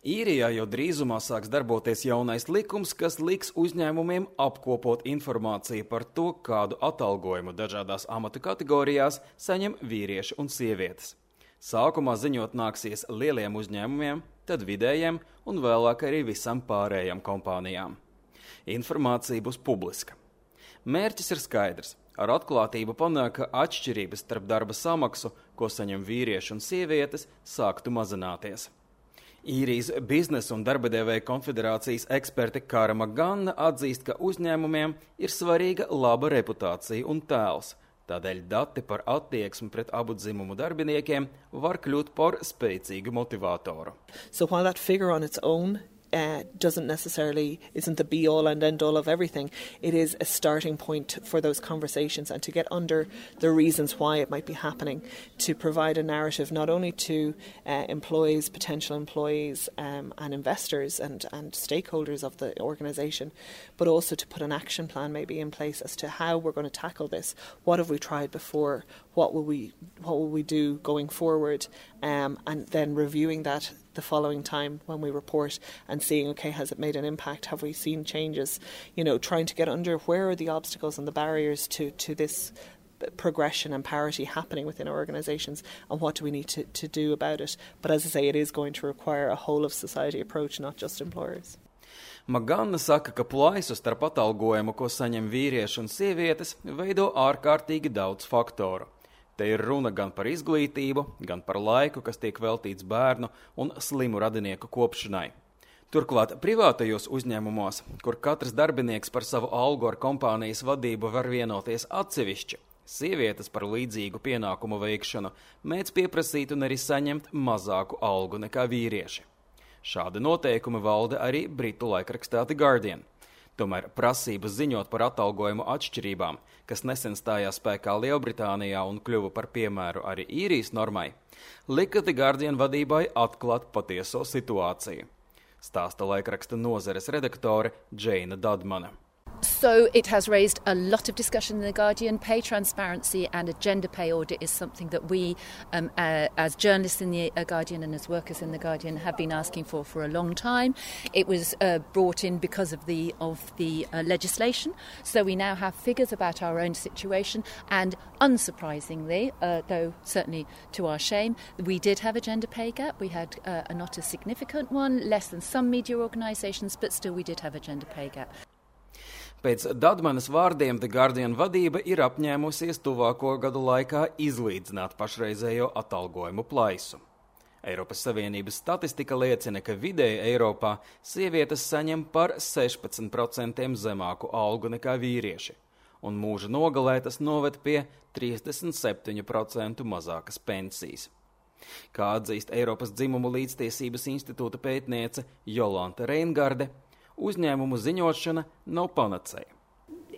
Īrijā jau drīzumā sāks darboties jaunais likums, kas liks uzņēmumiem apkopot informāciju par to, kādu atalgojumu dažādās amatu kategorijās saņem vīrieši un sievietes. Sākumā ziņot nāksies lieliem uzņēmumiem, tad vidējiem un vēlāk arī visam pārējām kompānijām. Informācija būs publiska. Mērķis ir skaidrs. Ar atklātību panāk, ka atšķirības starp darba samaksu, ko saņem vīrieši un sievietes, sāktu mazināties. Īrijas biznesa un darbadevēja konfederācijas eksperte Kāra Maganna atzīst, ka uzņēmumiem ir svarīga laba reputācija un tēls. Tādēļ dati par attieksmi pret abu dzimumu darbiniekiem var kļūt par spēcīgu motivātoru. So while that figure on its own isn't the be-all and end-all of everything, it is a starting point for those conversations and to get under the reasons why it might be happening, to provide a narrative not only to employees, potential employees and investors and stakeholders of the organisation, but also to put an action plan maybe in place as to how we're going to tackle this. What have we tried before? What will we do going forward? And then reviewing that the following time when we report and seeing, okay, has it made an impact? Have we seen changes? Trying to get under where are the obstacles and the barriers to this progression and parity happening within our organisations, and what do we need to do about it? But as I say, it is going to require a whole of society approach, not just employers. Maganna saka, ka plaisu starp atalgojumu, ko saņem vīrieši un sievietes, veido ārkārtīgi daudz faktoru. Te ir runa gan par izglītību, gan par laiku, kas tiek veltīts bērnu un slimu radinieku kopšanai. Turklāt privātajos uzņēmumos, kur katrs darbinieks par savu algu ar kompānijas vadību var vienoties atsevišķi, sievietes par līdzīgu pienākumu veikšanu mēdz pieprasīt un arī saņemt mazāku algu nekā vīrieši. Šādi noteikumi valda arī britu laikrakstā The Guardian. Tomēr prasības ziņot par atalgojumu atšķirībām, kas nesen stājās spēkā Lielbritānijā un kļuva par piemēru arī Īrijas normai, lika The Guardian vadībai atklāt patieso situāciju. Stāsta laikraksta nozares redaktore Džeina Dadmana. So it has raised a lot of discussion in The Guardian. Pay transparency and a gender pay audit is something that we, as journalists in The Guardian and as workers in The Guardian, have been asking for a long time. It was brought in because of the legislation. So we now have figures about our own situation. And unsurprisingly, though certainly to our shame, we did have a gender pay gap. We had not a significant one, less than some media organisations, but still we did have a gender pay gap. Pēc Dadmanas vārdiem The Guardian vadība ir apņēmusies tuvāko gadu laikā izlīdzināt pašreizējo atalgojumu plaisu. Eiropas Savienības statistika liecina, ka vidēji Eiropā sievietes saņem par 16% zemāku algu nekā vīrieši, un mūža nogalē tas noved pie 37% mazākas pensijas. Kā atzīst Eiropas dzimumu līdztiesības institūta pētniece Jolanta Reingarde, uzņēmumu ziņošana nav panacēja.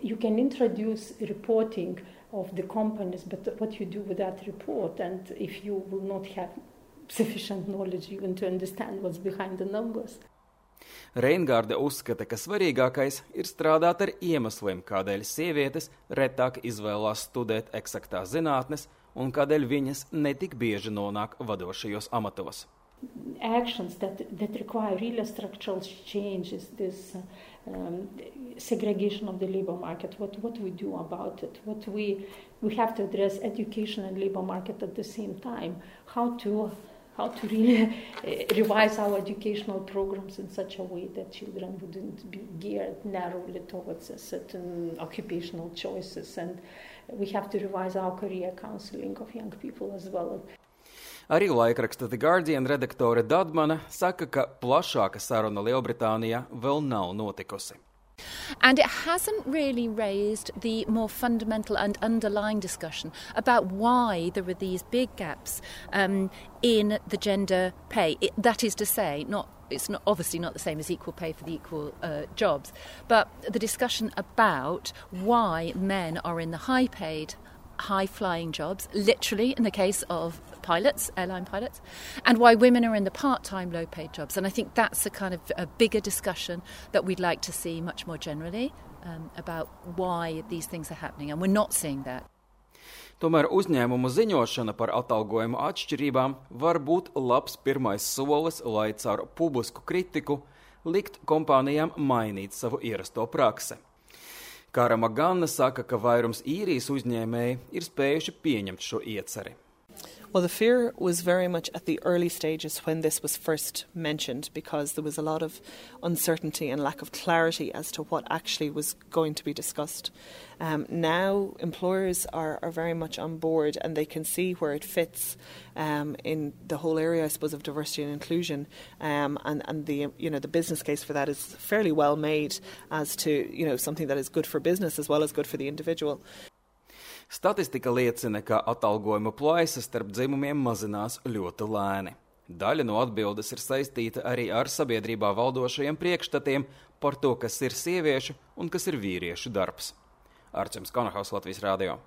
You can introduce reporting of the companies, but what you do with that report, and if you will not have sufficient knowledge even to understand what's behind the numbers. Reingarde uzskata, ka svarīgākais ir strādāt ar iemesliem, kādēļ sievietes retāk izvēlās studēt eksaktās zinātnes un kādēļ viņas netik bieži nonāk vadošajos amatos. Actions that require real structural changes, this segregation of the labor market, what we do about it, we have to address education and labor market at the same time, how to really revise our educational programs in such a way that children wouldn't be geared narrowly towards a certain occupational choices, and we have to revise our career counseling of young people as well. Arī laikraksta The Guardian redaktore Dadmana saka, ka plašāka saruna Lielbritānijā vēl nav notikusi. And it hasn't really raised the more fundamental and underlying discussion about why there are these big gaps in the gender pay. That is to say, it's obviously not the same as equal pay for the equal jobs, but the discussion about why men are in the high-paid, high-flying jobs, literally in the case of pilots, airline pilots, and why women are in the part-time, low-paid jobs. And I think that's a kind of a bigger discussion that we'd like to see much more generally about why these things are happening, and we're not seeing that. Tomēr uzņēmumu ziņošana par atalgojumu atšķirībām var būt labs pirmais solis, lai caur publisku kritiku likt kompānijām mainīt savu ierasto praksi. Kāra Magana saka, ka vairums īrijas uzņēmēji ir spējuši pieņemt šo ieceri. Well, the fear was very much at the early stages when this was first mentioned, because there was a lot of uncertainty and lack of clarity as to what actually was going to be discussed. Now employers are very much on board, and they can see where it fits in the whole area, I suppose, of diversity and inclusion, and the the business case for that is fairly well made as to something that is good for business as well as good for the individual. Statistika liecina, ka atalgojuma plaisa starp dzimumiem mazinās ļoti lēni. Daļa no atbildes ir saistīta arī ar sabiedrībā valdošajiem priekšstatiem par to, kas ir sieviešu un kas ir vīriešu darbs. Arčuns Konahaus, Latvijas radio.